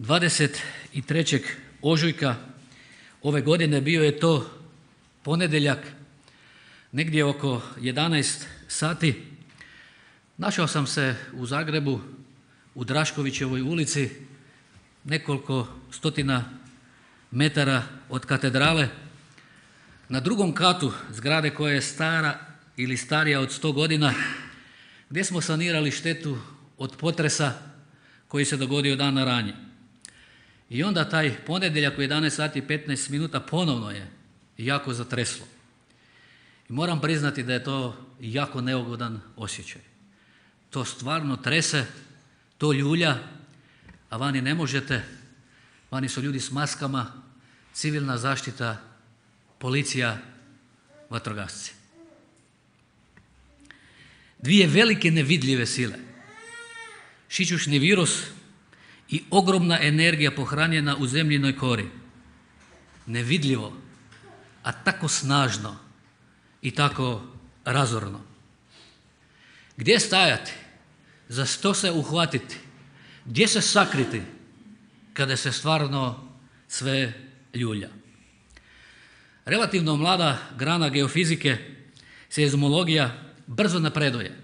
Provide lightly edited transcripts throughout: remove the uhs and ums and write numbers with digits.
23. ožujka ove godine bio je to ponedjeljak, negdje oko 11 sati. Našao sam se u Zagrebu, u Draškovićevoj ulici, nekoliko stotina metara od katedrale, na drugom katu zgrade koja je stara ili starija od 100 godina, gdje smo sanirali štetu od potresa koji se dogodio dana ranije. I onda taj ponedjeljak u 11 sati i 15 minuta ponovno je jako zatreslo. I moram priznati da je to jako neugodan osjećaj. To stvarno trese, to ljulja, a vani ne možete. Vani su ljudi s maskama, civilna zaštita, policija, vatrogasci. Dvije velike nevidljive sile, šičušni virus i ogromna energija pohranjena u zemljinoj kori. Nevidljivo, a tako snažno i tako razorno. Gdje stajati? Za što se uhvatiti? Gdje se sakriti kada se stvarno sve ljulja? Relativno mlada grana geofizike, seizmologija, brzo napreduje.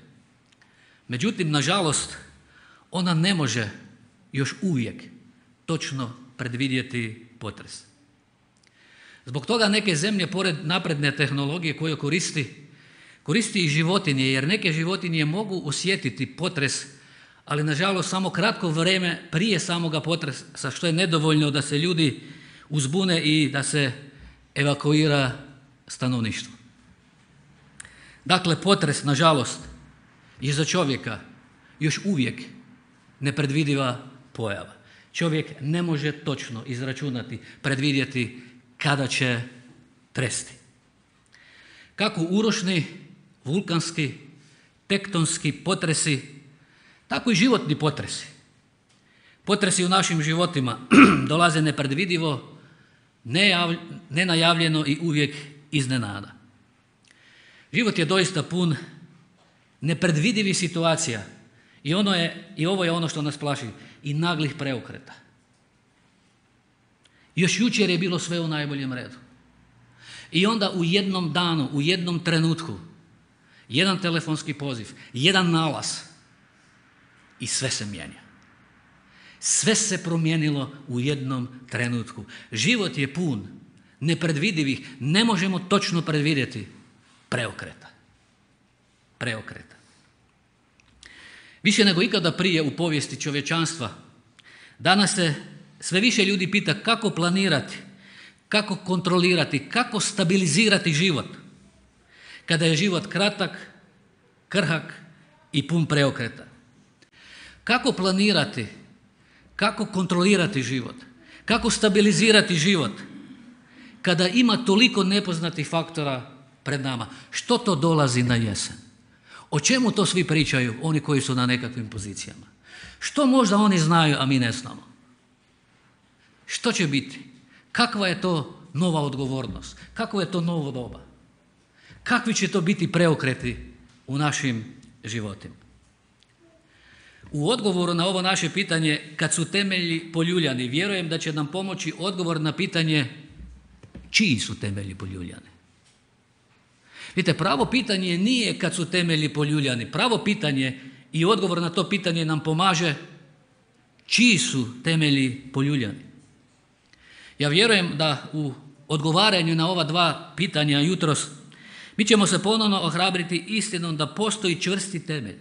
Međutim, nažalost, ona ne može još uvijek točno predvidjeti potres. Zbog toga neke zemlje, pored napredne tehnologije koju koristi i životinje, jer neke životinje mogu osjetiti potres, ali nažalost samo kratko vrijeme prije samoga potresa, što je nedovoljno da se ljudi uzbune i da se evakuira stanovništvo. Dakle, potres, nažalost, je za čovjeka još uvijek nepredvidiva pojava. Čovjek ne može točno izračunati, predvidjeti kada će tresti. Kako urošni, vulkanski, tektonski potresi, tako i životni potresi. Potresi u našim životima dolaze nepredvidivo, nenajavljeno i uvijek iznenada. Život je doista pun nepredvidivih situacija i ovo je ono što nas plaši, i naglih preokreta. Još jučer je bilo sve u najboljem redu. I onda u jednom danu, u jednom trenutku, jedan telefonski poziv, jedan nalaz i sve se mijenja. Sve se promijenilo u jednom trenutku. Život je pun nepredvidivih, ne možemo točno predvidjeti preokreta. Više nego ikada prije u povijesti čovječanstva, danas se sve više ljudi pita kako planirati, kako kontrolirati, kako stabilizirati život kada je život kratak, krhak i pun preokreta. Kako planirati, kako kontrolirati život, kako stabilizirati život kada ima toliko nepoznatih faktora pred nama. Što to dolazi na jesen? O čemu to svi pričaju, oni koji su na nekakvim pozicijama? Što možda oni znaju, a mi ne znamo? Što će biti? Kakva je to nova odgovornost? Kakvo je to novo doba? Kakvi će to biti preokreti u našim životima? U odgovoru na ovo naše pitanje, kad su temelji poljuljani, vjerujem da će nam pomoći odgovor na pitanje čiji su temelji poljuljani. Vidite, pravo pitanje nije kad su temelji poljuljani. Pravo pitanje i odgovor na to pitanje nam pomaže čiji su temelji poljuljani. Ja vjerujem da u odgovaranju na ova dva pitanja jutros mi ćemo se ponovno ohrabriti istinom da postoji čvrsti temelj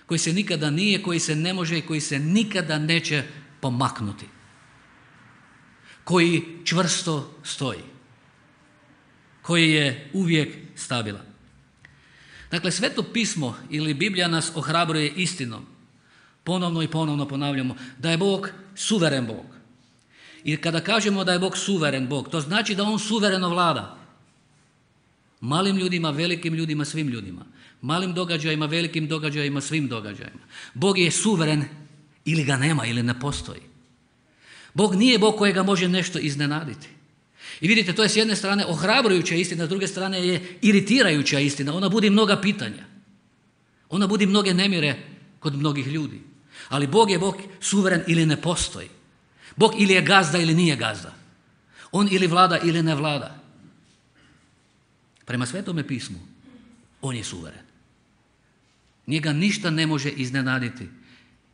koji se nikada nije, koji se ne može i koji se nikada neće pomaknuti. Koji čvrsto stoji. Koji je uvijek stabilan. Dakle, Sveto pismo ili Biblija nas ohrabruje istinom. Ponovno i ponovno ponavljamo da je Bog suveren Bog. I kada kažemo da je Bog suveren Bog, to znači da On suvereno vlada. Malim ljudima, velikim ljudima, svim ljudima. Malim događajima, velikim događajima, svim događajima. Bog je suveren ili ga nema ili ne postoji. Bog nije Bog kojega može nešto iznenaditi. I vidite, to je s jedne strane ohrabrujuća istina, s druge strane je iritirajuća istina. Ona budi mnoga pitanja. Ona budi mnoge nemire kod mnogih ljudi. Ali Bog je Bog suveren ili ne postoji. Bog ili je gazda ili nije gazda. On ili vlada ili ne vlada. Prema Svetome pismu, on je suveren. Njega ništa ne može iznenaditi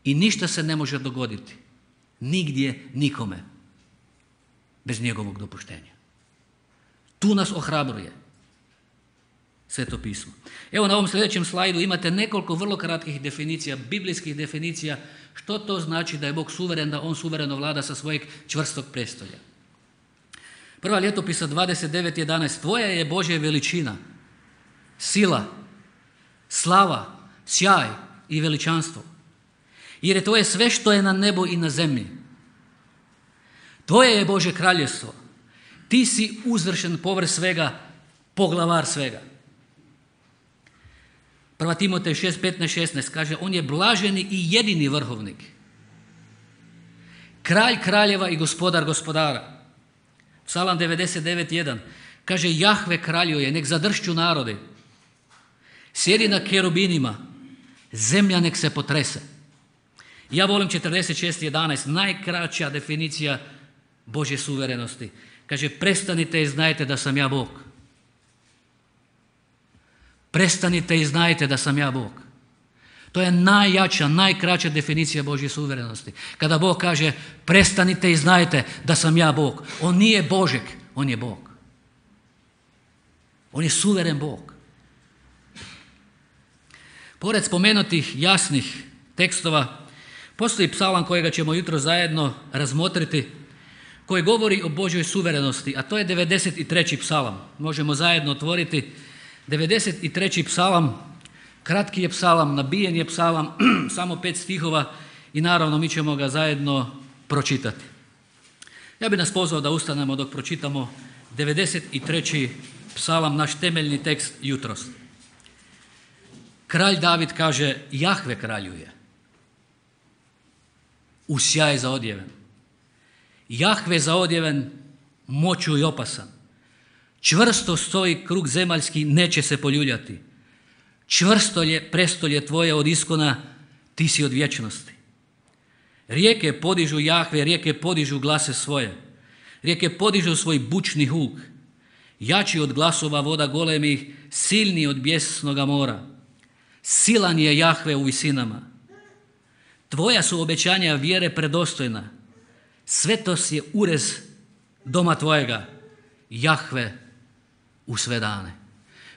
i ništa se ne može dogoditi. Nigdje, nikome. Bez njegovog dopuštenja. Tu nas ohrabruje Sveto pismo. Evo na ovom sljedećem slajdu imate nekoliko vrlo kratkih definicija, biblijskih definicija, što to znači da je Bog suveren, da on suvereno vlada sa svojeg čvrstog prestolja. Prva Ljetopisa 29.11. Tvoja je Božja veličina, sila, slava, sjaj i veličanstvo. Jer je tvoje sve što je na nebu i na zemlji. Tvoje je Božje kraljevstvo. Ti si uzvršen povrh svega, poglavar svega. 1. Timotej 6.15.16 kaže, on je blaženi i jedini vrhovnik. Kralj kraljeva i gospodar gospodara. Psalam 99.1 kaže, Jahve kraljuje, nek zadršću narodi. Sjedi na kerubinima, zemlja nek se potrese. Ja volim 46.11, najkraća definicija Božje suverenosti. Kaže, prestanite i znajte da sam ja Bog. Prestanite i znajte da sam ja Bog. To je najjača, najkraća definicija Božje suverenosti. Kada Bog kaže, prestanite i znajte da sam ja Bog. On nije Božek, on je Bog. On je suveren Bog. Pored spomenutih jasnih tekstova, postoji psalam kojega ćemo jutro zajedno razmotriti, koji govori o Božjoj suverenosti, a to je 93. psalam. Možemo zajedno otvoriti 93. psalam, kratki je psalam, nabijen je psalam, samo 5 stihova i naravno mi ćemo ga zajedno pročitati. Ja bih nas pozvao da ustanemo dok pročitamo 93. psalam, naš temeljni tekst jutros. Kralj David kaže, Jahve kraljuje, u sjaj zaodjeven. Jahve zaodjeven, moću i opasan. Čvrsto stoji krug zemaljski, neće se poljuljati. Čvrsto je prestolje tvoje od iskona, ti si od vječnosti. Rijeke podižu Jahve, rijeke podižu glase svoje. Rijeke podižu svoj bučni huk. Jači od glasova voda golemih, silni od bijesnoga mora. Silan je Jahve u visinama. Tvoja su obećanja vjere predostojna. Svetost je urez doma tvojega, Jahve u sve dane.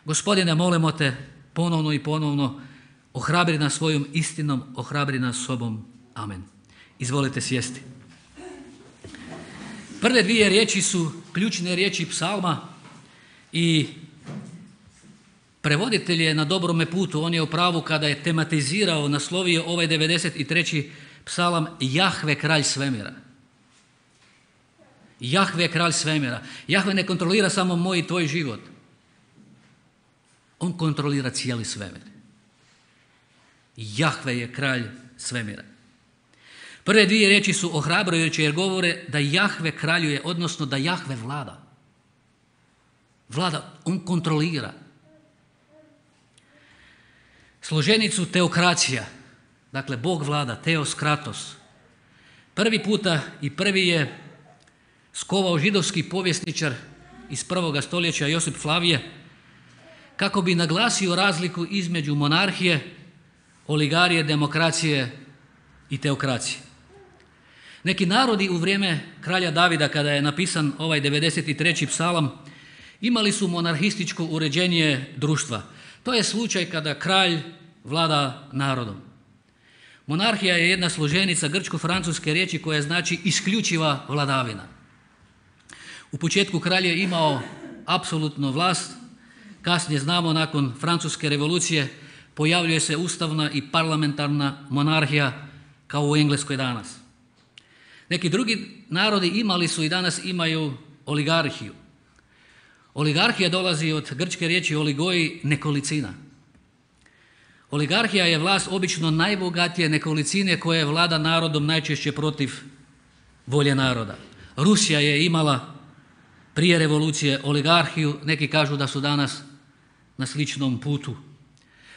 Gospodine, molimo te ponovno i ponovno, ohrabri nas svojom istinom, ohrabri nas sobom. Amen. Izvolite sjesti. Prve dvije riječi su ključne riječi psalma i prevoditelj je na dobrome putu. On je u pravu kada je tematizirao, naslovio ovaj 93. psalam Jahve kralj svemira. Jahve je kralj svemira. Jahve ne kontrolira samo moj i tvoj život. On kontrolira cijeli svemir. Jahve je kralj svemira. Prve dvije riječi su ohrabrujuće jer govore da Jahve kraljuje, odnosno da Jahve vlada. Vlada, on kontrolira. Složenicu teokracija, dakle Bog vlada, teos kratos. Prvi puta i prvi je skovao židovski povjesničar iz 1. stoljeća Josip Flavije kako bi naglasio razliku između monarhije, oligarije, demokracije i teokracije. Neki narodi u vrijeme kralja Davida, kada je napisan ovaj 93. psalam, imali su monarhističko uređenje društva. To je slučaj kada kralj vlada narodom. Monarhija je jedna složenica grčko-francuske riječi koja znači isključiva vladavina. U početku kralj je imao apsolutnu vlast, kasnije znamo nakon francuske revolucije pojavljuje se ustavna i parlamentarna monarhija kao u Engleskoj danas. Neki drugi narodi imali su i danas imaju oligarhiju. Oligarhija dolazi od grčke riječi oligoi, nekolicina. Oligarhija je vlast obično najbogatije nekolicine koja vlada narodom najčešće protiv volje naroda. Rusija je imala prije revolucije oligarhiju, neki kažu da su danas na sličnom putu.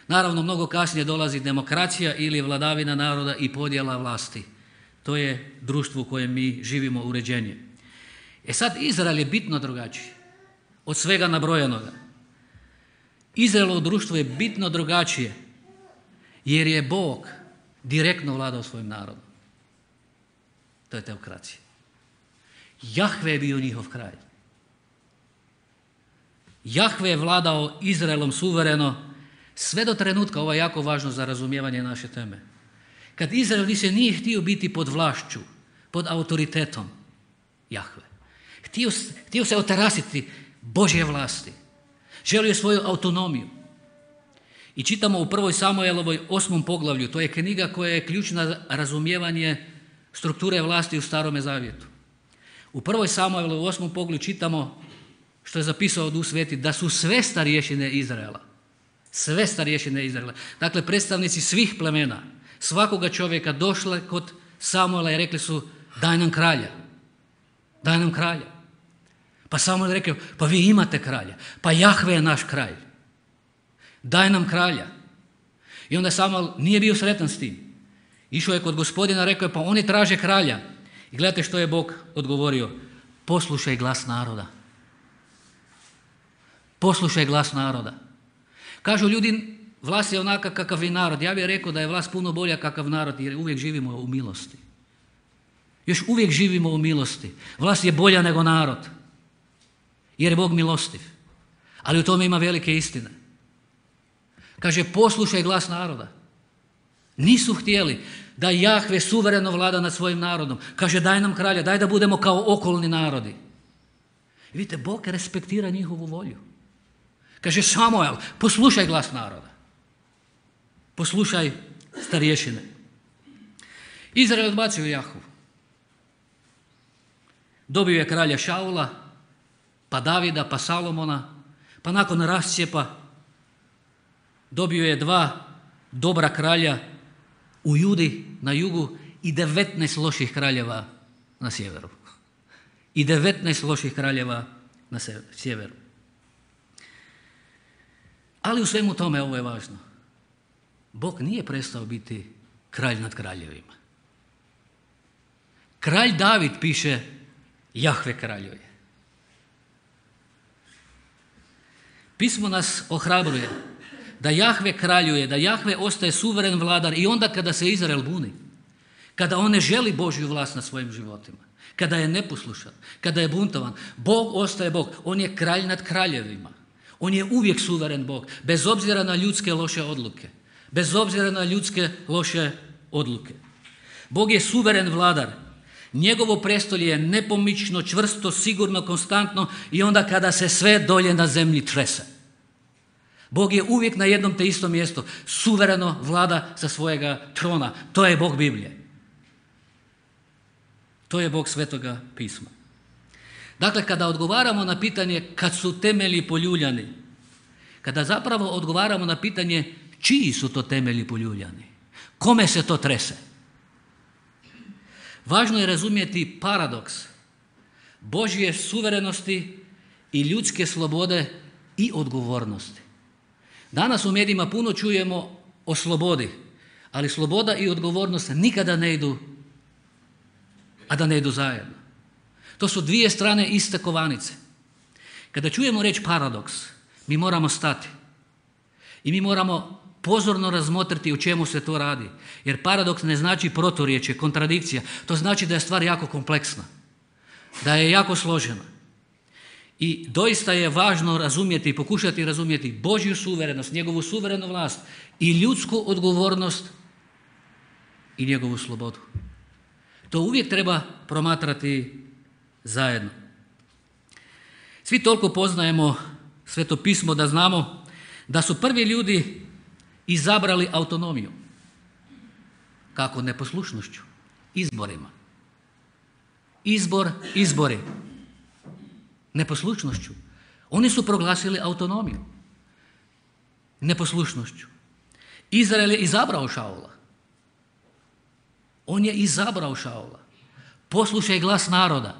Naravno, mnogo kasnije dolazi demokracija ili vladavina naroda i podjela vlasti. To je društvo u kojem mi živimo, uređenje. Sad, Izrael je bitno drugačiji od svega nabrojanoga. Izraelovo društvo je bitno drugačije jer je Bog direktno vladao svojim narodom. To je teokracija. Jahve je bio njihov kralj. Jahve je vladao Izraelom suvereno sve do trenutka, ovo je jako važno za razumijevanje naše teme, kad Izrael više nije htio biti pod vlašću, pod autoritetom Jahve. Htio se otarasiti Božje vlasti. Želio je svoju autonomiju. I čitamo u 1. Samuelovoj 8. poglavlju, to je knjiga koja je ključna za razumijevanje strukture vlasti u Starome zavjetu. U 1. Samuelovoj 8. poglavlju čitamo što je zapisao Duh Sveti, da su sve starješine Izraela, dakle predstavnici svih plemena, svakoga čovjeka došle kod Samuela i rekli su daj nam kralja. Pa Samuel je rekao, pa vi imate kralja, pa Jahve je naš kralj, daj nam kralja. I onda Samuel nije bio sretan s tim. Išao je kod Gospodina, rekao je, pa oni traže kralja. I gledajte što je Bog odgovorio, poslušaj glas naroda. Poslušaj glas naroda. Kažu ljudi, vlast je onaka kakav i narod. Ja bih rekao da je vlast puno bolja kakav narod jer uvijek živimo u milosti. Još uvijek živimo u milosti. Vlast je bolja nego narod jer je Bog milostiv. Ali u tome ima velike istine. Kaže, poslušaj glas naroda. Nisu htjeli da Jahve suvereno vlada nad svojim narodom. Kaže, daj nam kralja, daj da budemo kao okolni narodi. I vidite, Bog respektira njihovu volju. Kaže, Samuel, poslušaj glas naroda. Poslušaj starješine. Izrael odbacio Jahvu. Dobio je kralja Šaula, pa Davida, pa Salomona, pa nakon rascijepa dobio je 2 dobra kralja u Judi na jugu i 19 loših kraljeva na sjeveru. Ali u svemu tome ovo je važno. Bog nije prestao biti kralj nad kraljevima. Kralj David piše, Jahve kraljuje. Pismo nas ohrabruje da Jahve kraljuje, da Jahve ostaje suveren vladar i onda kada se Izrael buni, kada on ne želi Božju vlast nad svojim životima, kada je neposlušan, kada je buntovan, Bog ostaje Bog. On je kralj nad kraljevima. On je uvijek suveren Bog, bez obzira na ljudske loše odluke. Bog je suveren vladar. Njegovo prestolje je nepomično, čvrsto, sigurno, konstantno i onda kada se sve dolje na zemlji trese. Bog je uvijek na jednom te istom mjestu, suvereno vlada sa svojega trona. To je Bog Biblije. To je Bog Svetoga pisma. Dakle, kada odgovaramo na pitanje kad su temelji poljuljani, kada zapravo odgovaramo na pitanje čiji su to temelji poljuljani, kome se to trese, važno je razumjeti paradoks Božje suverenosti i ljudske slobode i odgovornosti. Danas u medijima puno čujemo o slobodi, ali sloboda i odgovornost nikada ne idu, a da ne idu zajedno. To su 2 strane iste kovanice. Kada čujemo riječ paradoks, mi moramo stati i mi moramo pozorno razmotriti o čemu se to radi. Jer paradoks ne znači proturječje, kontradikcija. To znači da je stvar jako kompleksna, da je jako složena. I doista je važno razumjeti i pokušati razumjeti Božju suverenost, njegovu suverenu vlast i ljudsku odgovornost i njegovu slobodu. To uvijek treba promatrati zajedno. Svi toliko poznajemo Sveto pismo da znamo da su prvi ljudi izabrali autonomiju. Kako? Neposlušnošću, izborima. Izbori. Neposlušnošću. Oni su proglasili autonomiju. Neposlušnošću. Izrael je izabrao Šaula. On je izabrao Šaula. Poslušaj glas naroda.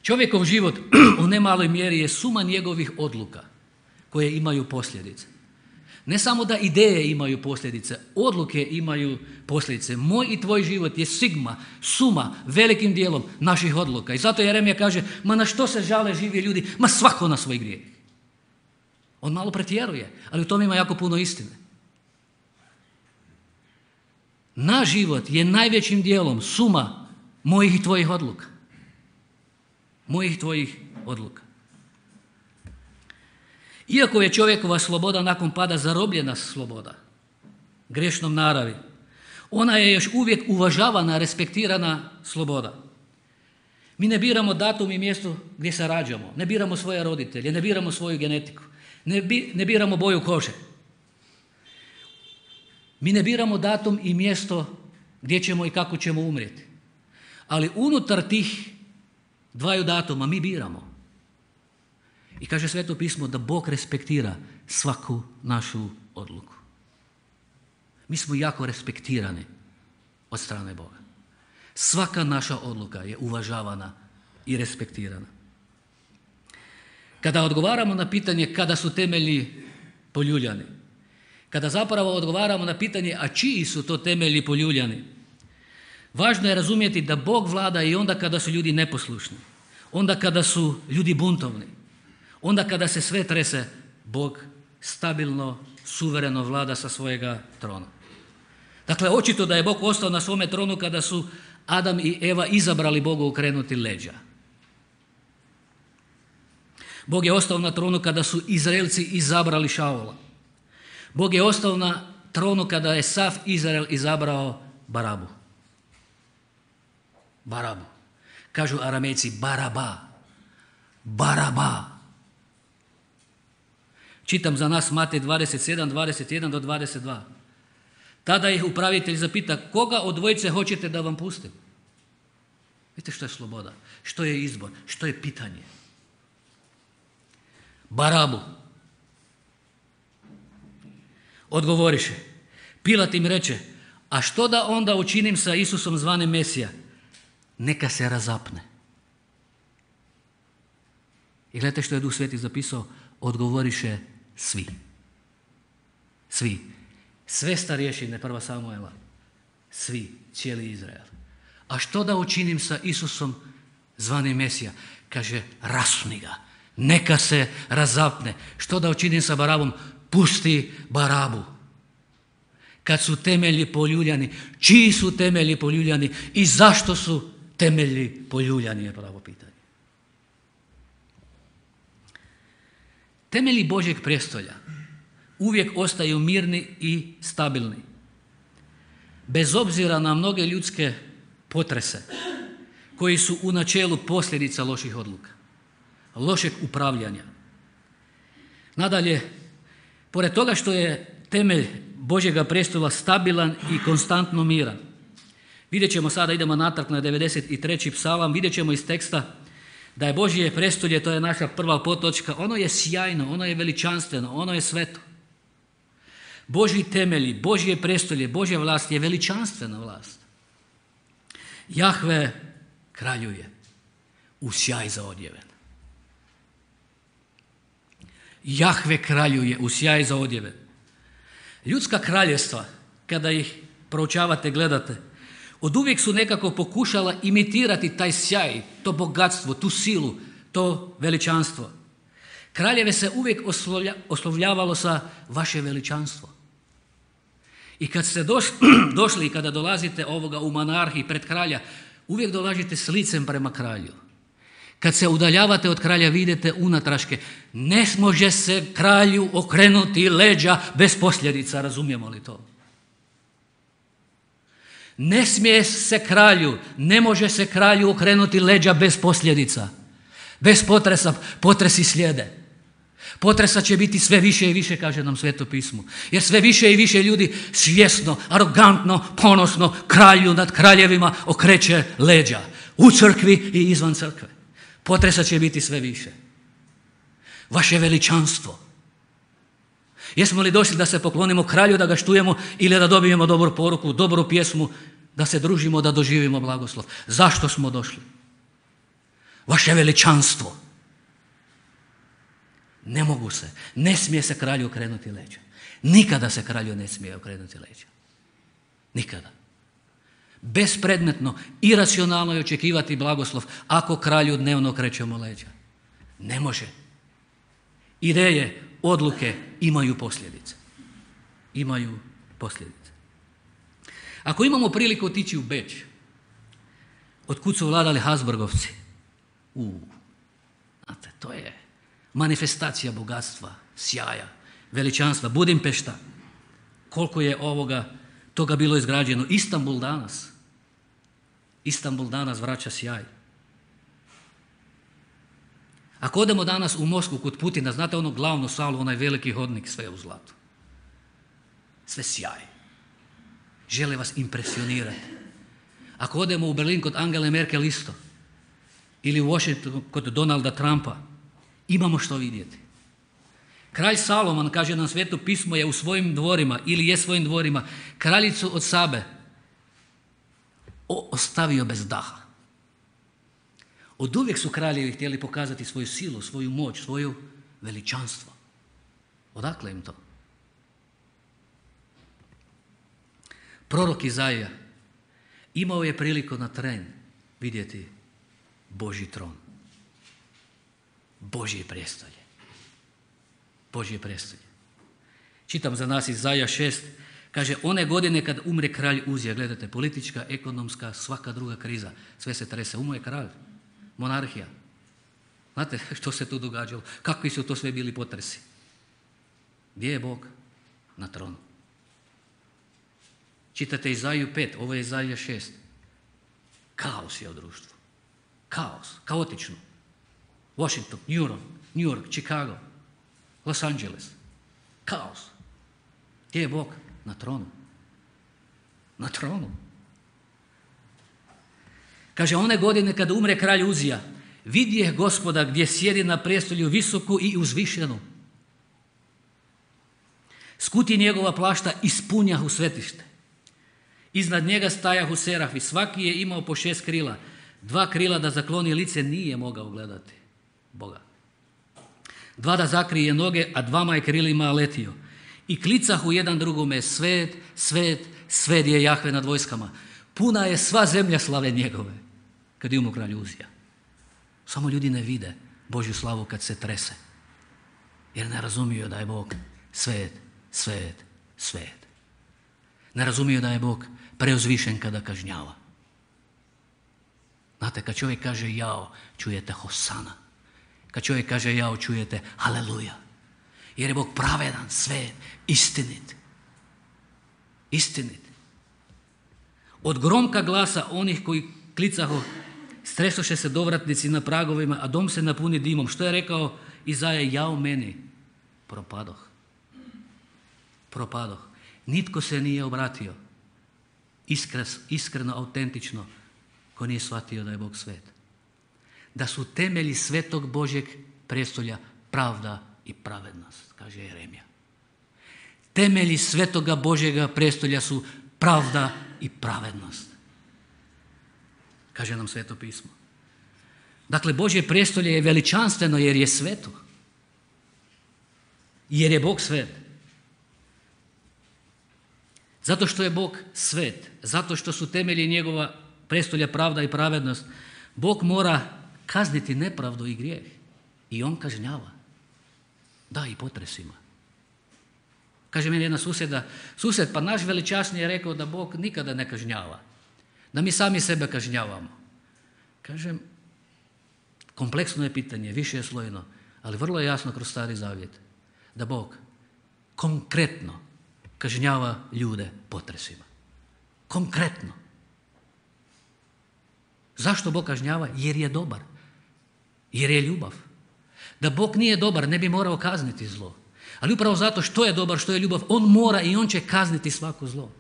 Čovjekov život u nemaloj mjeri je suma njegovih odluka koje imaju posljedice. Ne samo da ideje imaju posljedice, odluke imaju posljedice. Moj i tvoj život je suma velikim dijelom naših odluka. I zato Jeremija kaže, ma na što se žale živi ljudi? Ma svako na svoj grijeh. On malo pretjeruje, ali u tome ima jako puno istine. Naš život je najvećim dijelom suma mojih i tvojih odluka. Mojih i tvojih odluka. Iako je čovjekova sloboda nakon pada zarobljena sloboda, grešnom naravi, ona je još uvijek uvažavana, respektirana sloboda. Mi ne biramo datum i mjesto gdje se rađamo, ne biramo svoje roditelje, ne biramo svoju genetiku, ne biramo boju kože. Mi ne biramo datum i mjesto gdje ćemo i kako ćemo umrijeti. Ali unutar tih dvaju datuma mi biramo. I kaže Sveto pismo da Bog respektira svaku našu odluku. Mi smo jako respektirani od strane Boga. Svaka naša odluka je uvažavana i respektirana. Kada odgovaramo na pitanje kada su temelji poljuljani, kada zapravo odgovaramo na pitanje a čiji su to temelji poljuljani, važno je razumjeti da Bog vlada i onda kada su ljudi neposlušni, onda kada su ljudi buntovni, onda kada se sve trese, Bog stabilno, suvereno vlada sa svojega trona. Dakle, očito da je Bog ostao na svome tronu kada su Adam i Eva izabrali Bogu okrenuti leđa. Bog je ostao na tronu kada su Izraelci izabrali Šaula. Bog je ostao na tronu kada je sav Izrael izabrao Barabu. Barabu. Kažu Aramejci Baraba. Baraba. Čitam za nas Matej 27, 21 do 22. Tada ih upravitelj zapita, koga od dvojice hoćete da vam pustim? Vidite što je sloboda, što je izbor, što je pitanje. Barabu. Odgovoriše. Pilat im reče, a što da onda učinim sa Isusom zvanim Mesija? Neka se razapne. I gledajte što je Duh Sveti zapisao, odgovoriše svi. Svi. Sve starješine, 1. Samuela. Svi, cijeli Izrael. A što da učinim sa Isusom zvanim Mesija? Kaže, rasuni ga. Neka se razapne. Što da učinim sa Barabom? Pusti Barabu. Kad su temelji poljuljani, čiji su temelji poljuljani i zašto su temelji poljuljani je pravo pitanje. Temelji Božjeg prijestolja uvijek ostaju mirni i stabilni. Bez obzira na mnoge ljudske potrese koji su u načelu posljedica loših odluka, lošeg upravljanja. Nadalje, pored toga što je temelj Božjega prijestola stabilan i konstantno miran, vidjet ćemo sada, idemo natrag na 93. psalam, vidjet ćemo iz teksta da je Božje prijestolje, to je naša prva podtočka, ono je sjajno, ono je veličanstveno, ono je sveto. Božji temelji, Božje prijestolje, Božja vlast je veličanstvena vlast. Jahve kraljuje u sjaj zaodjeven. Jahve kraljuje u sjaj zaodjeven. Ljudska kraljevstva, kada ih proučavate, gledate, oduvijek su nekako pokušala imitirati taj sjaj, to bogatstvo, tu silu, to veličanstvo. Kraljeve se uvijek oslovljavalo sa vaše veličanstvo. I kad ste došli i kada dolazite ovoga u monarhiji pred kralja, uvijek dolazite s licem prema kralju. Kad se udaljavate od kralja, vidite unatraške. Ne može se kralju okrenuti leđa bez posljedica, razumijemo li to? Ne smije se kralju, ne može se kralju okrenuti leđa bez posljedica. Bez potresa, potresi slijede. Potresa će biti sve više i više, kaže nam Sveto pismo. Jer sve više i više ljudi svjesno, arogantno, ponosno kralju nad kraljevima okreće leđa. U crkvi i izvan crkve. Potresa će biti sve više. Vaše veličanstvo. Jesmo li došli da se poklonimo kralju, da ga štujemo ili da dobijemo dobru poruku, dobru pjesmu, da se družimo, da doživimo blagoslov? Zašto smo došli? Vaše veličanstvo. Ne mogu se, ne smije se kralju okrenuti leđa. Nikada se kralju ne smije okrenuti leđa. Nikada. Bespredmetno, iracionalno je očekivati blagoslov ako kralju dnevno okrećemo leđa. Ne može. Ideje, odluke imaju posljedice. Imaju posljedice. Ako imamo priliku otići u Beč, otkud su vladali Habsburgovci, znate, to je manifestacija bogatstva, sjaja, veličanstva. Budimpešta, koliko je toga bilo izgrađeno. Istanbul danas vraća sjaj. Ako odemo danas u Moskvu kod Putina, znate ono glavnu salu, onaj veliki hodnik, sve u zlatu. Sve sjaj. Žele vas impresionirati. Ako odemo u Berlin kod Angele Merkel isto, ili u Washington kod Donalda Trumpa, imamo što vidjeti. Kralj Salomon, kaže nam Sveto pismo, je u svojim dvorima, ili je svojim dvorima, kraljicu od Sabe ostavio bez daha. Od uvijek su kraljevi htjeli pokazati svoju silu, svoju moć, svoju veličanstvo. Odakle im to? Prorok Izaija imao je priliku na tren vidjeti Božji tron, Božje prijestolje. Božje prijestolje. Čitam za nas Izaija 6, kaže, one godine kad umre kralj Uzija, gledajte, politička, ekonomska, svaka druga kriza, sve se trese, umro je kralj, monarhija. Znate što se tu događalo? Kakvi su to sve bili potresi? Gdje je Bog? Na tronu. Čitate Izaiju 5, ovo je Izaija 6. Kaos je u društvu. Kaos, kaotično. Washington, New York, Chicago, Los Angeles. Kaos. Gdje je Bog? Na tronu. Na tronu. Kaže, one godine kada umre kralj Uzija, vidje Gospoda gdje sjedi na prijestolju visoku i uzvišenu. Skuti njegova plašta ispunjahu svetište. Iznad njega stajahu serafi, svaki je imao po 6 krila. 2 krila da zakloni lice nije mogao gledati Boga. 2 da zakrije noge, a 2 je krilima letio. I klicahu jedan drugome, svet, svet, svet je Jahve nad vojskama. Puna je sva zemlja slave njegove, kad je umro kralj Uzija. Samo ljudi ne vide Božju slavu kad se trese, jer ne razumiju da je Bog svet, svet, svet. Ne razumiju da je Bog preuzvišen kada kažnjava. Znate, kad čovjek kaže jao, čujete hosana. Kad čovjek kaže jao, čujete haleluja. Jer je Bog pravedan, svet, istinit. Istinit. Od gromka glasa onih koji klicaho, stresoše se dovratnici na pragovima, a dom se napuni dimom. Što je rekao Izaija? Jao meni, propadoh. Propadoh. Nitko se nije obratio iskreno, autentično, ko nije shvatio da je Bog svet. Da su temelji svetog Božjeg prijestolja pravda i pravednost, kaže Jeremija. Temelji svetoga Božjega prijestolja su pravda i pravednost, kaže nam Sveto pismo. Dakle, Božje prijestolje je veličanstveno jer je sveto. Jer je Bog svet. Zato što je Bog svet, zato što su temelji njegova prijestolja pravda i pravednost, Bog mora kazniti nepravdu i grijeh. I on kažnjava. Da, i potresima. Kaže meni jedna susjed, pa naš veličasni je rekao da Bog nikada ne kažnjava. Da mi sami sebe kažnjavamo. Kažem, kompleksno je pitanje, više je slojno, ali vrlo je jasno kroz Stari Zavjet da Bog konkretno kažnjava ljude potresima. Konkretno. Zašto Bog kažnjava? Jer je dobar. Jer je ljubav. Da Bog nije dobar, ne bi morao kazniti zlo. Ali upravo zato što je dobar, što je ljubav, on mora i on će kazniti svako zlo.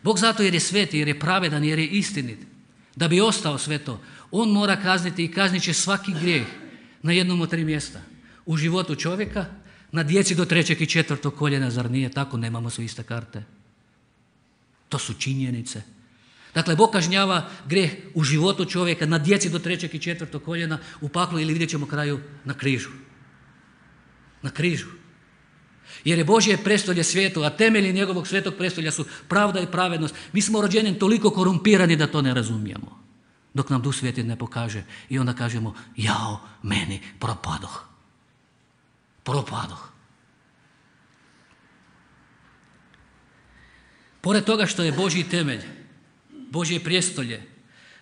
Bog zato jer je svet, jer je pravedan, jer je istinit. Da bi ostao sve to, on mora kazniti i kaznit će svaki grijeh na jednom od 3 mjesta. U životu čovjeka, na djeci do 3. i 4. koljena, zar nije tako? Nemamo svi iste karte. To su činjenice. Dakle, Bog kažnjava grijeh u životu čovjeka, na djeci do 3. i 4. koljena, u paklu ili vidjet ćemo kraju na križu. Na križu. Jer je Božje prestolje svijetu, a temelji njegovog svetog prestolja su pravda i pravednost. Mi smo rođeni toliko korumpirani da to ne razumijemo. Dok nam Duh Sveti ne pokaže i onda kažemo, jao, meni propadoh. Propadoh. Pored toga što je Božji temelj, Božje prijestolje,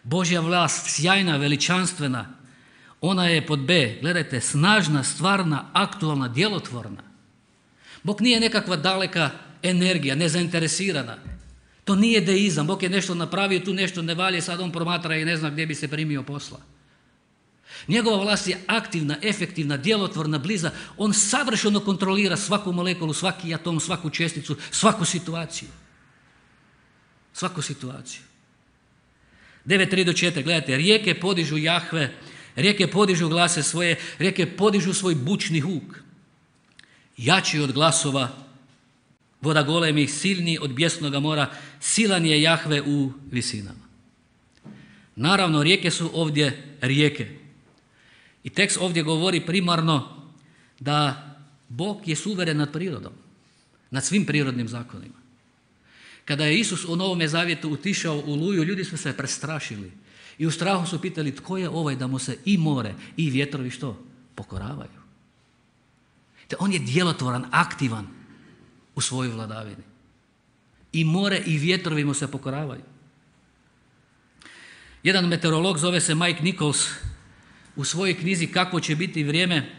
Božja vlast, sjajna, veličanstvena, ona je pod B, gledajte, snažna, stvarna, aktualna, djelotvorna. Bog nije nekakva daleka energija, nezainteresirana. To nije deizam. Bog je nešto napravio, tu nešto ne valje, sad on promatra i ne zna gdje bi se primio posla. Njegova vlast je aktivna, efektivna, djelotvorna, bliza. On savršeno kontrolira svaku molekulu, svaki atom, svaku česticu, svaku situaciju. Svaku situaciju. 9.3-4, gledajte, rijeke podižu Jahve, rijeke podižu glase svoje, rijeke podižu svoj bučni huk. Jači od glasova voda golemih, silniji od bijesnoga mora, silan je Jahve u visinama. Naravno, rijeke su ovdje rijeke. I tekst ovdje govori primarno da Bog je suveren nad prirodom, nad svim prirodnim zakonima. Kada je Isus u Novome Zavjetu utišao u Luju, ljudi su se prestrašili i u strahu su pitali tko je ovaj da mu se i more i vjetrovi što? Pokoravaju. Te on je djelotvoran, aktivan u svojoj vladavini. I more i vjetrovi mu se pokoravaju. Jedan meteorolog, zove se Mike Nichols, u svojoj knjizi Kakvo će biti vrijeme,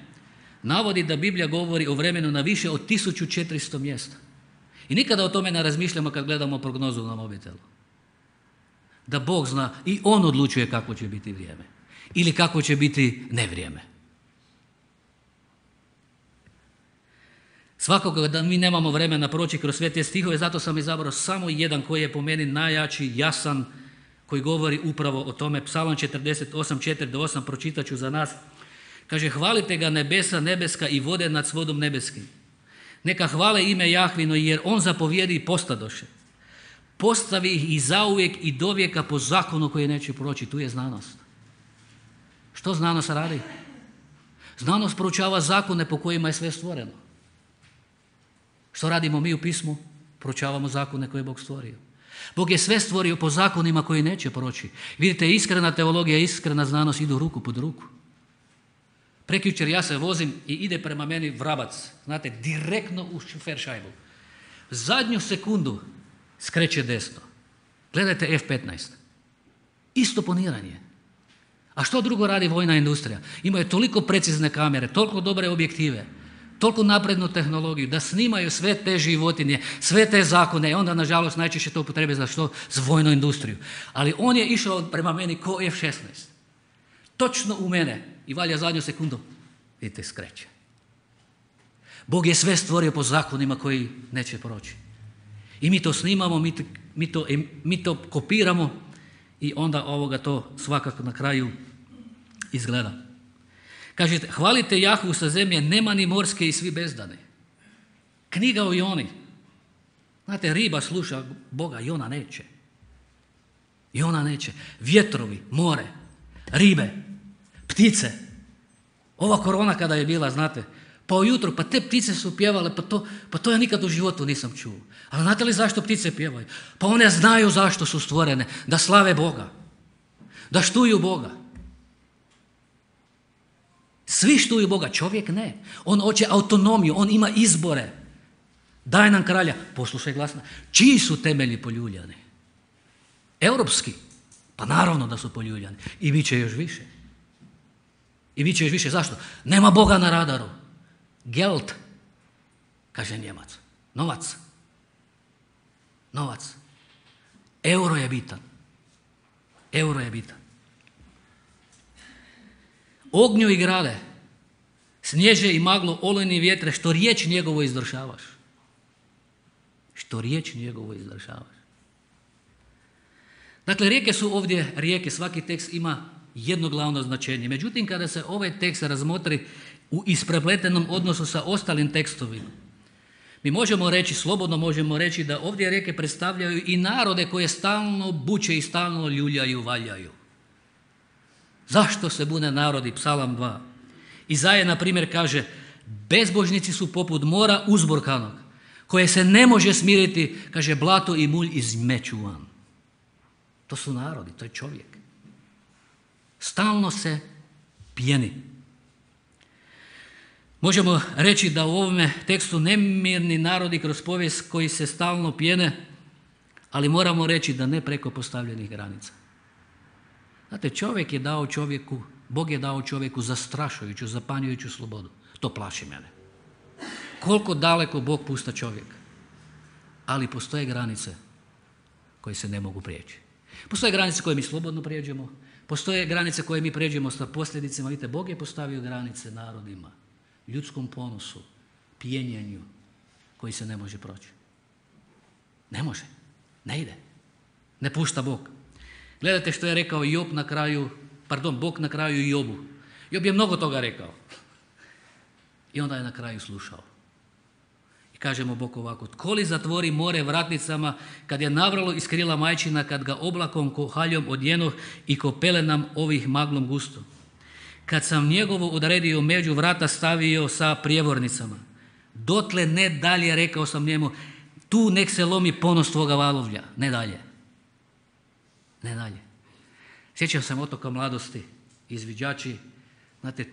navodi da Biblija govori o vremenu na više od 1400 mjesta. I nikada o tome ne razmišljamo kad gledamo prognozu na mobitelu. Da Bog zna i On odlučuje kako će biti vrijeme. Ili kako će biti nevrijeme. Svakako da mi nemamo vremena proći kroz sve te stihove, zato sam izabrao samo jedan koji je po meni najjači, jasan, koji govori upravo o tome. Psalam 48, 4-8, pročitat ću za nas. Kaže, hvalite ga nebesa nebeska i vode nad svodom nebeskim. Neka hvale ime Jahvino, jer on zapovjedi i postadoše. Postavi ih i zauvijek i dovijeka po zakonu koji neće proći. Tu je znanost. Što znanost radi? Znanost proučava zakone po kojima je sve stvoreno. Što radimo mi u pismu? Proučavamo zakone koje je Bog stvorio. Bog je sve stvorio po zakonima koji neće proći. Vidite, iskrena teologija i iskrena znanost idu ruku pod ruku. Prekjučer ja se vozim i ide prema meni vrabac, znate, direktno u šofer šajbu. Zadnju sekundu skreće desno. Gledajte F-15. Isto poniranje. A što drugo radi vojna industrija? Imaju toliko precizne kamere, toliko dobre objektive, toliko naprednu tehnologiju da snimaju sve te životinje, sve te zakone i onda nažalost najčešće to upotrebe za što? Za vojnu industriju. Ali on je išao prema meni ko F-16. Točno u mene i valja zadnju sekundu. Vidite, skreće. Bog je sve stvorio po zakonima koji neće proći. I mi to snimamo, mi to kopiramo i onda to svakako na kraju izgleda. Kažete, hvalite Jahvu sa zemlje, nema ni morske i svi bezdane. Knjiga o Joni. Znate, riba sluša Boga, Jona neće. Jona neće. Vjetrovi, more, ribe, ptice. Ova korona kada je bila, znate, pa ujutro, pa te ptice su pjevale, pa to ja nikad u životu nisam čuo. Ali znate li zašto ptice pjevaju? Pa one znaju zašto su stvorene, da slave Boga, da štuju Boga. Svi štuju Boga, čovjek ne. On hoće autonomiju, on ima izbore. Daj nam kralja, poslušaj glasno. Čiji su temelji poljuljani? Europski. Pa naravno da su poljuljani. I bit će još više. I bit će još više. Zašto? Nema Boga na radaru. Geld, kaže Njemac. Novac. Novac. Euro je bitan. Euro je bitan. Ognju i grade, snježe i maglo, olujni vjetre, što riječ njegovo izdržavaš. Što riječ njegovo izdržavaš. Dakle, rijeke su ovdje rijeke, svaki tekst ima jedno glavno značenje. Međutim, kada se ovaj tekst razmotri u isprepletenom odnosu sa ostalim tekstovima, mi možemo reći, slobodno možemo reći da ovdje rijeke predstavljaju i narode koje stalno buče i stalno ljuljaju, valjaju. Zašto se bune narodi? Psalam 2. Izaja, na primjer, kaže, Bezbožnici su poput mora uzburkanog, koje se ne može smiriti, kaže, blato i mulj izmeću van. To su narodi, to je čovjek. Stalno se pjeni. Možemo reći da u ovome tekstu nemirni narodi kroz povijest koji se stalno pjene, ali moramo reći da ne preko postavljenih granica. Znate, Bog je dao čovjeku zastrašujuću, zapanjujuću slobodu. To plaši mene. Koliko daleko Bog pušta čovjeka. Ali postoje granice koje se ne mogu prijeći. Postoje granice koje mi slobodno prijeđemo, postoje granice koje mi prijeđemo sa posljedicama. Vidite, Bog je postavio granice narodima, ljudskom ponosu, pijenjenju koji se ne može proći. Ne može, ne ide, ne pušta Bog. Gledajte što je rekao Bog na kraju Jobu. Job je mnogo toga rekao. I onda je na kraju slušao. I kaže mu Bog ovako: tko li zatvori more vratnicama, kad je navralo iz krila majčina, kad ga oblakom ko haljom odjenoh i ko pelenam ovih maglom gusto. Kad sam njegovo odredio među vrata stavio sa prijevornicama. Dotle ne dalje, rekao sam njemu, tu nek se lomi ponos tvoga valovlja. Ne dalje. Ne dalje. Sjećam se otoka mladosti, izviđači, znate,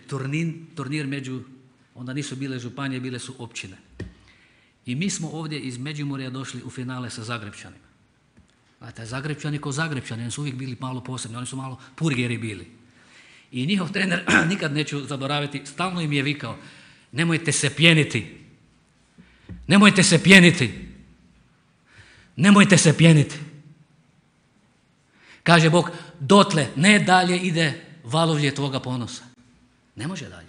turnir među, onda nisu bile županije, bile su općine. I mi smo ovdje iz Međimurja došli u finale sa Zagrebčanima. Znate, Zagrebčani ko Zagrebčani, oni su uvijek bili malo posebni, oni su malo purgeri bili. I njihov trener, nikad neću zaboraviti, stalno im je vikao: nemojte se pjeniti, nemojte se pjeniti, nemojte se pjeniti. Kaže Bog, dotle, ne dalje ide valovlje tvoga ponosa. Ne može dalje.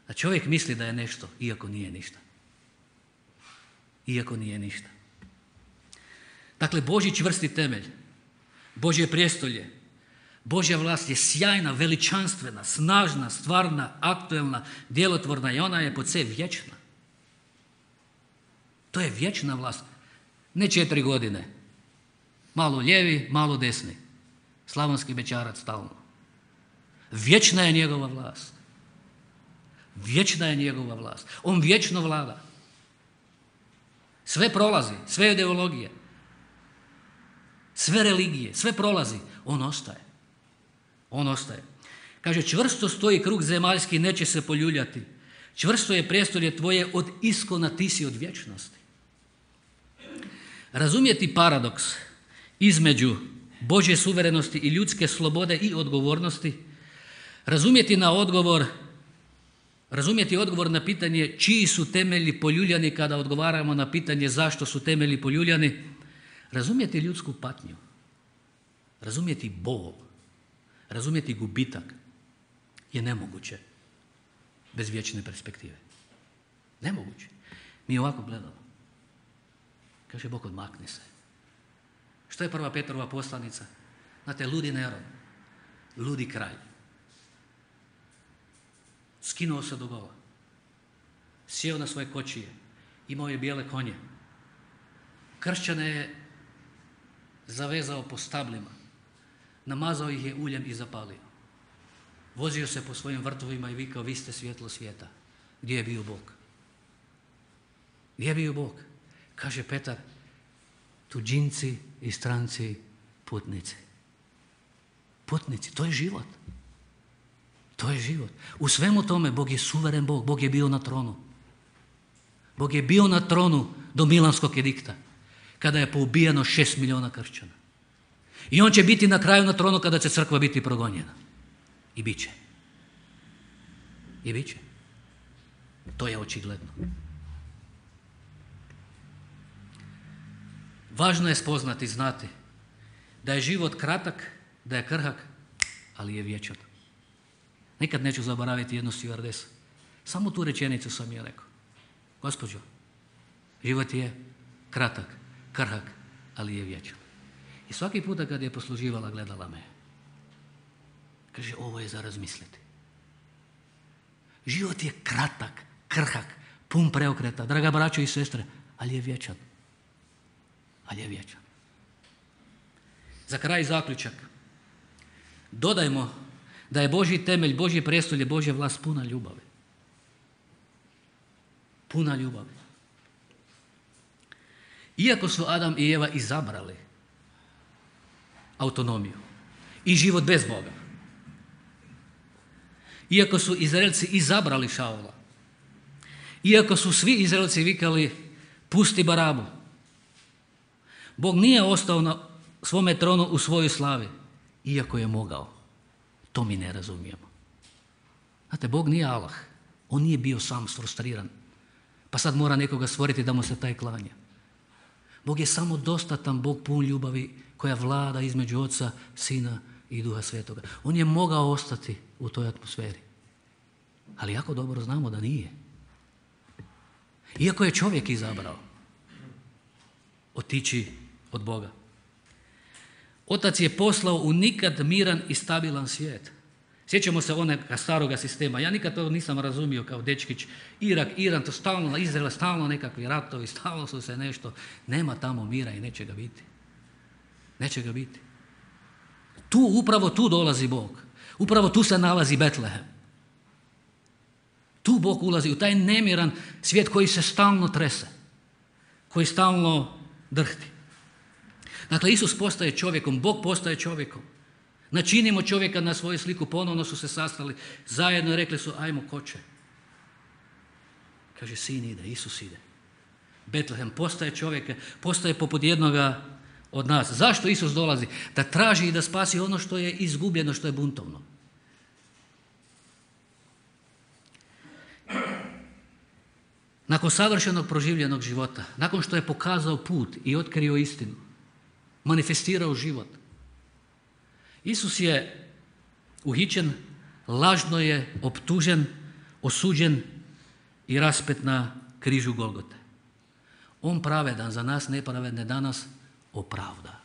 A čovjek misli da je nešto, iako nije ništa. Iako nije ništa. Dakle, Božji čvrsti temelj, Božje prijestolje, Božja vlast je sjajna, veličanstvena, snažna, stvarna, aktuelna, djelotvorna i ona je pod sve vječna. To je vječna vlast. Ne 4 godine. Malo lijevi, malo desni. Slavonski bećarac stalno. Vječna je njegova vlast. Vječna je njegova vlast. On vječno vlada. Sve prolazi, sve ideologije, sve religije, sve prolazi. On ostaje. On ostaje. Kaže, čvrsto stoji krug zemaljski, neće se poljuljati. Čvrsto je prijestolje tvoje od iskona, ti si od vječnosti. Razumjeti paradoks između Božje suverenosti i ljudske slobode i odgovornosti, razumjeti odgovor na pitanje čiji su temelji poljuljani kada odgovaramo na pitanje zašto su temelji poljuljani, razumjeti ljudsku patnju, razumjeti bol, razumjeti gubitak je nemoguće bez vječne perspektive. Nemoguće. Mi ovako gledamo. Kaže Bog, odmakni se. Što je prva Petrova poslanica? Znate, ludi Neron, ludi kralj. Skinuo se do gola. Sjeo na svoje kočije. Imao je bijele konje. Kršćane je zavezao po stablima. Namazao ih je uljem i zapalio. Vozio se po svojim vrtovima i vikao: vi ste svjetlo svijeta. Gdje je bio Bog? Gdje je bio Bog? Kaže Petar: tuđinci i stranci, putnici. Putnici, to je život. To je život. U svemu tome Bog je suveren Bog. Bog je bio na tronu. Bog je bio na tronu do Milanskog edikta, kada je poubijeno 6 milijuna kršćana. I on će biti na kraju na tronu kada će crkva biti progonjena. I bit će. I bit će. To je očigledno. Važno je spoznati, znati da je život kratak, da je krhak, ali je vječan. Nikad neću zaboraviti jednu stjuardesu. Samo tu rečenicu sam je rekao: gospođo, život je kratak, krhak, ali je vječan. I svaki puta kad je posluživala, gledala me. Kaže, ovo je za razmisliti. Život je kratak, krhak, pun preokreta, draga braćo i sestre, ali je vječan. Ali je vječan. Za kraj zaključak. Dodajmo da je Božji temelj, Božje prijestolje, Božja vlast puna ljubavi. puna ljubavi. Iako su Adam i Eva izabrali autonomiju i život bez Boga, iako su Izraelci izabrali Šaula, iako su svi Izraelci vikali pusti Barabu, Bog nije ostao na svome tronu u svojoj slavi, iako je mogao. To mi ne razumijemo. Znate, Bog nije Allah. On nije bio sam frustriran, pa sad mora nekoga stvoriti da mu se taj klanja. Bog je samo dostatan Bog pun ljubavi koja vlada između Oca, Sina i Duha Svetoga. On je mogao ostati u toj atmosferi. Ali jako dobro znamo da nije. Iako je čovjek izabrao otići od Boga. Otac je poslao u nikad miran i stabilan svijet. Sjećamo se onega staroga sistema. Ja nikad to nisam razumio kao dečkić. Irak, Iran, to stalno, Izrael, stalno nekakvi ratovi, stalno su se nešto. Nema tamo mira i neće ga biti. Neće ga biti. Upravo tu dolazi Bog. Upravo tu se nalazi Betlehem. Tu Bog ulazi u taj nemiran svijet koji se stalno trese. Koji stalno drhti. Dakle, Isus postaje čovjekom, Bog postaje čovjekom. Načinimo čovjeka na svoju sliku, ponovno su se sastali zajedno i rekli su ajmo ko će. Kaže sin ide, Isus ide. Betlehem postaje čovjeka, postaje poput jednoga od nas. Zašto Isus dolazi? Da traži i da spasi ono što je izgubljeno, što je buntovno. Nakon savršenog proživljenog života, nakon što je pokazao put i otkrio istinu, manifestirao život, Isus je uhićen, lažno je optužen, osuđen i raspet na križu Golgote. On pravedan za nas nepravedne danas opravda.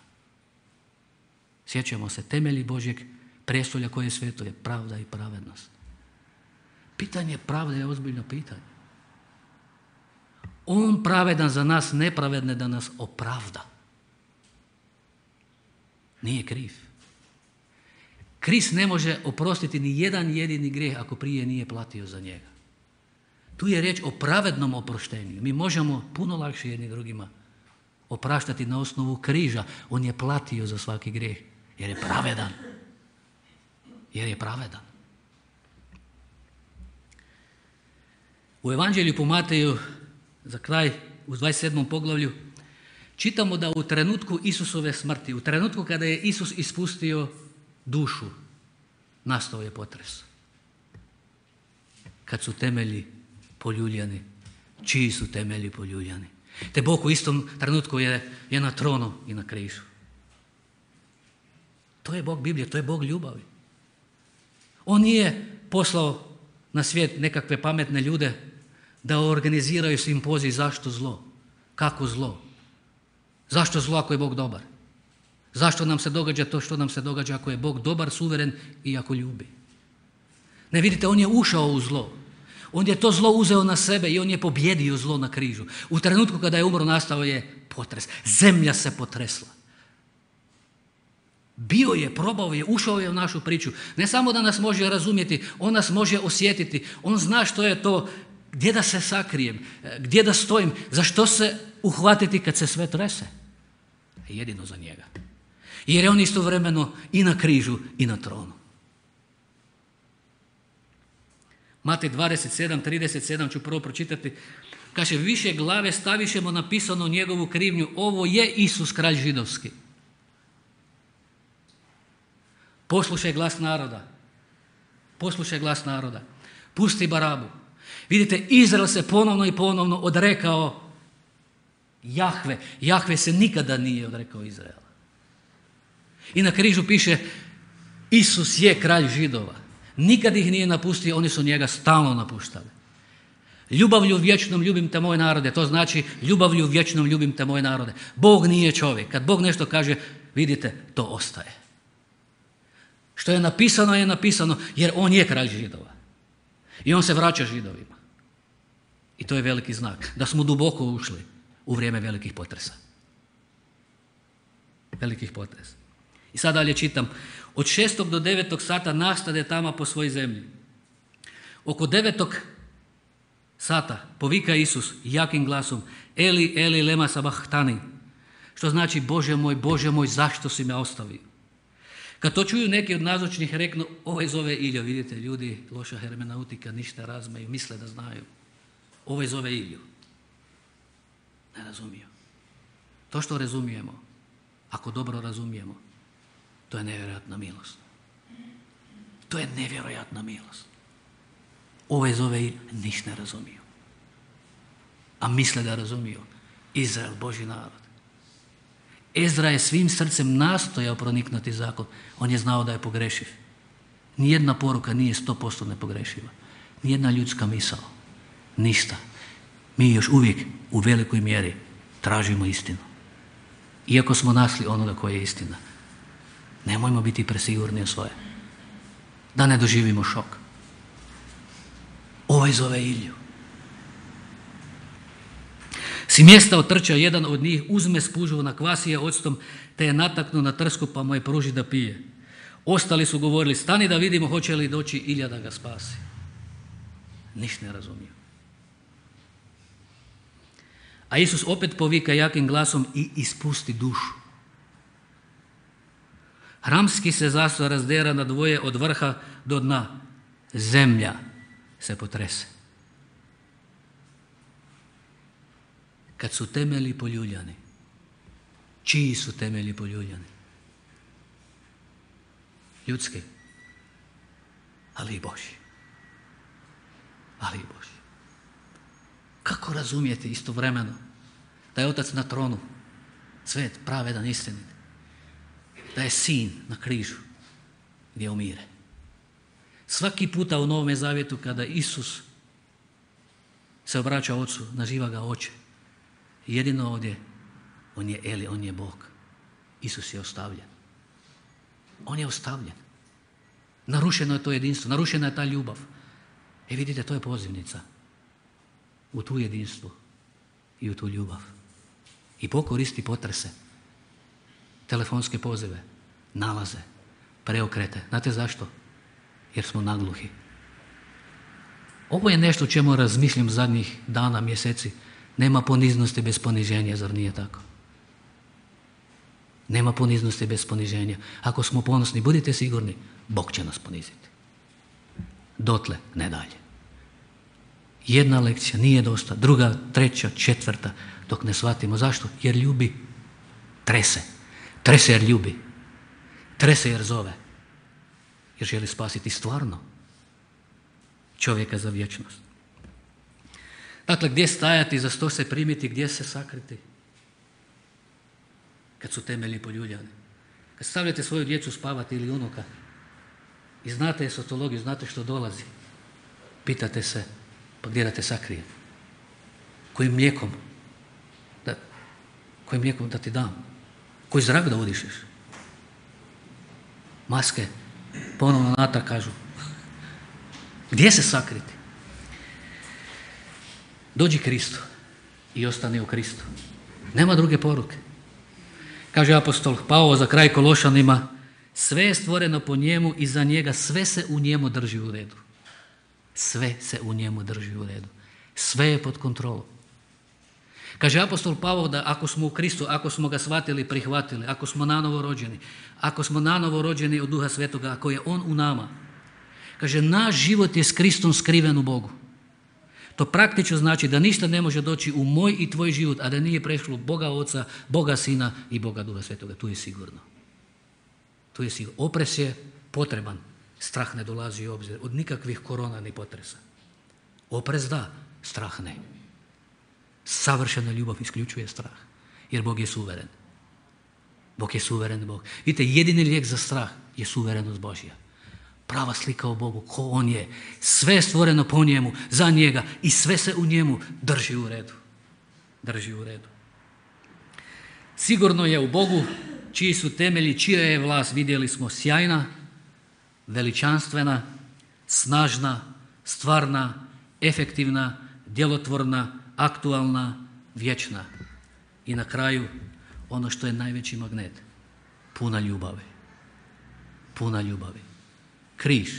Sjećamo se temelji Božjeg prijestolja koje je sveto je pravda i pravednost. Pitanje pravde je ozbiljno pitanje. On pravedan za nas nepravedne da nas opravda. Nije kriv. Krist ne može oprostiti ni jedan jedini grijeh ako prije nije platio za njega. Tu je riječ o pravednom oproštenju. Mi možemo puno lakše jedni drugima opraštati na osnovu križa. On je platio za svaki grijeh jer je pravedan. Jer je pravedan. U Evanđelju po Mateju, za kraj, u 27. poglavlju, čitamo da u trenutku Isusove smrti, u trenutku kada je Isus ispustio dušu, nastao je potres. Kad su temelji poljuljani, čiji su temelji poljuljani? Te Bog u istom trenutku je na tronu i na križu. To je Bog Biblije, to je Bog ljubavi. On nije poslao na svijet nekakve pametne ljude da organiziraju simpozij zašto zlo, kako zlo, zašto zlo ako je Bog dobar. Zašto nam se događa to što nam se događa ako je Bog dobar, suveren i ako ljubi? Ne vidite, on je ušao u zlo. On je to zlo uzeo na sebe i on je pobjedio zlo na križu. U trenutku kada je umro nastao je potres. Zemlja se potresla. Bio je, probao je, ušao je u našu priču. Ne samo da nas može razumjeti, on nas može osjetiti. On zna što je to, gdje da se sakrijem, gdje da stojim, za što se uhvatiti kad se sve trese. Jedino za njega. Jer je on istovremeno i na križu i na tronu. Matej 27:37 ću prvo pročitati. Kaže, više glave stavišemo napisano njegovu krivnju. Ovo je Isus, kralj židovski. Poslušaj glas naroda. Poslušaj glas naroda. Pusti Barabu. Vidite, Izrael se ponovno i ponovno odrekao Jahve. Jahve se nikada nije odrekao Izraela. I na križu piše, Isus je kralj Židova. Nikad ih nije napustio, oni su njega stalno napuštali. Ljubavlju vječnom ljubim te moj narode, to znači ljubavlju vječnom ljubim te moj narode. Bog nije čovjek. Kad Bog nešto kaže, vidite, to ostaje. Što je napisano jer on je kralj Židova. I on se vraća Židovima. I to je veliki znak da smo duboko ušli u vrijeme velikih potresa. Velikih potresa. I sad dalje čitam. Od 6. do 9. sata nastade tama po svoj zemlji. Oko 9. sata povika Isus jakim glasom Eli, Eli, lema sabahtani, što znači Bože moj, zašto si me ostavio? Kad to čuju neki od nazočnih reknu, ovaj zove Ilju. Vidite, ljudi, loša hermeneutika, ništa razmeju, misle da znaju. Ovaj zove Ilju. Ne razumiju. To što razumijemo, ako dobro razumijemo, to je nevjerojatna milost. To je nevjerojatna milost. Ovaj zove Ilju, ništa ne razumiju. A misle da razumiju. Izrael, Božji narod. Ezra je svim srcem nastojao proniknuti zakon. On je znao da je pogrešiv. Nijedna poruka nije 100% nepogrešiva. Nijedna ljudska misao. Ništa. Mi još uvijek u velikoj mjeri tražimo istinu. Iako smo našli onoga koji je istina. Nemojmo biti presigurni u svoje. Da ne doživimo šok. Ovaj zove Ilju. Si mjesta otrča jedan od njih, uzme spužu, nakvasi je octom, te je nataknu na trsku pa mu je pruži da pije. Ostali su govorili, stani da vidimo hoće li doći Ilja da ga spasi. Ništa ne razumiju. A Isus opet povika jakim glasom i ispusti dušu. Hramski se zastor razdera na dvoje od vrha do dna. Zemlja se potrese. Kad su temelji poljuljani, čiji su temelji poljuljani? Ljudski, ali i Božji. Ali i Božji. Kako razumijete istovremeno da je Otac na tronu, svet, pravedan, istinit, da je Sin na križu gdje umire? Svaki puta u Novome Zavjetu kada Isus se obraća Ocu, naziva ga Oče. Jedino ovdje, on je Eli, on je Bog. Isus je ostavljen. On je ostavljen. Narušeno je to jedinstvo, narušena je ta ljubav. Vidite, to je pozivnica u tu jedinstvo i u tu ljubav. I pokoristi potrese, telefonske pozive, nalaze, preokrete. Znate zašto? Jer smo nagluhi. Ovo je nešto o čemu razmišljam zadnjih dana, mjeseci. Nema poniznosti bez poniženja, zar nije tako? Nema poniznosti bez poniženja. Ako smo ponosni, budite sigurni, Bog će nas poniziti. Dotle, ne dalje. Jedna lekcija nije dosta, druga, treća, četvrta, dok ne shvatimo. Zašto? Jer ljubi. Trese. Trese jer ljubi. Trese jer zove. Jer želi spasiti stvarno čovjeka za vječnost. Dakle, gdje stajati, za što se primiti, gdje se sakriti? Kad su temelji poljuljani. Kad stavljate svoju djecu spavati ili unuka i znate esotologiju, znate što dolazi, pitate se, pa gdje da te sakrije? Kojim mlijekom da ti dam? Koji zrak da udišeš? Maske ponovno natrag kažu. Gdje se sakriti? Dođi Kristu i ostani u Kristu. Nema druge poruke. Kaže apostol Pavao za kraj Kološanima, sve je stvoreno po njemu i za njega, sve se u njemu drži u redu. Sve se u njemu drži u redu. Sve je pod kontrolom. Kaže apostol Pavao da ako smo u Kristu, ako smo ga shvatili, prihvatili, ako smo nanovo rođeni od Duha Svetoga, ako je On u nama, kaže naš život je s Kristom skriven u Bogu. To praktično znači da ništa ne može doći u moj i tvoj život, a da nije prešlo Boga Oca, Boga Sina i Boga Duha Svetoga. Tu je sigurno. Tu je sigurno. Opres je potreban. Strah ne dolazi u obzir. Od nikakvih korona ni potresa. Oprez da, strah ne. Savršena ljubav isključuje strah. Jer Bog je suveren. Bog je suveren Bog. Vidite, jedini lijek za strah je suverenost Božja. Prava slika o Bogu, ko On je. Sve je stvoreno po njemu, za njega i sve se u njemu drži u redu. Drži u redu. Sigurno je u Bogu, čiji su temelji, čija je vlast, vidjeli smo, sjajna, veličanstvena, snažna, stvarna, efektivna, djelotvorna, aktualna, vječna. I na kraju, ono što je najveći magnet, puna ljubavi. Puna ljubavi. Križ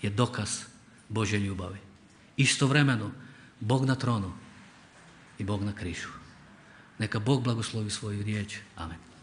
je dokaz Božje ljubavi. Istovremeno, Bog na tronu i Bog na križu. Neka Bog blagoslovi svoju riječ. Amen.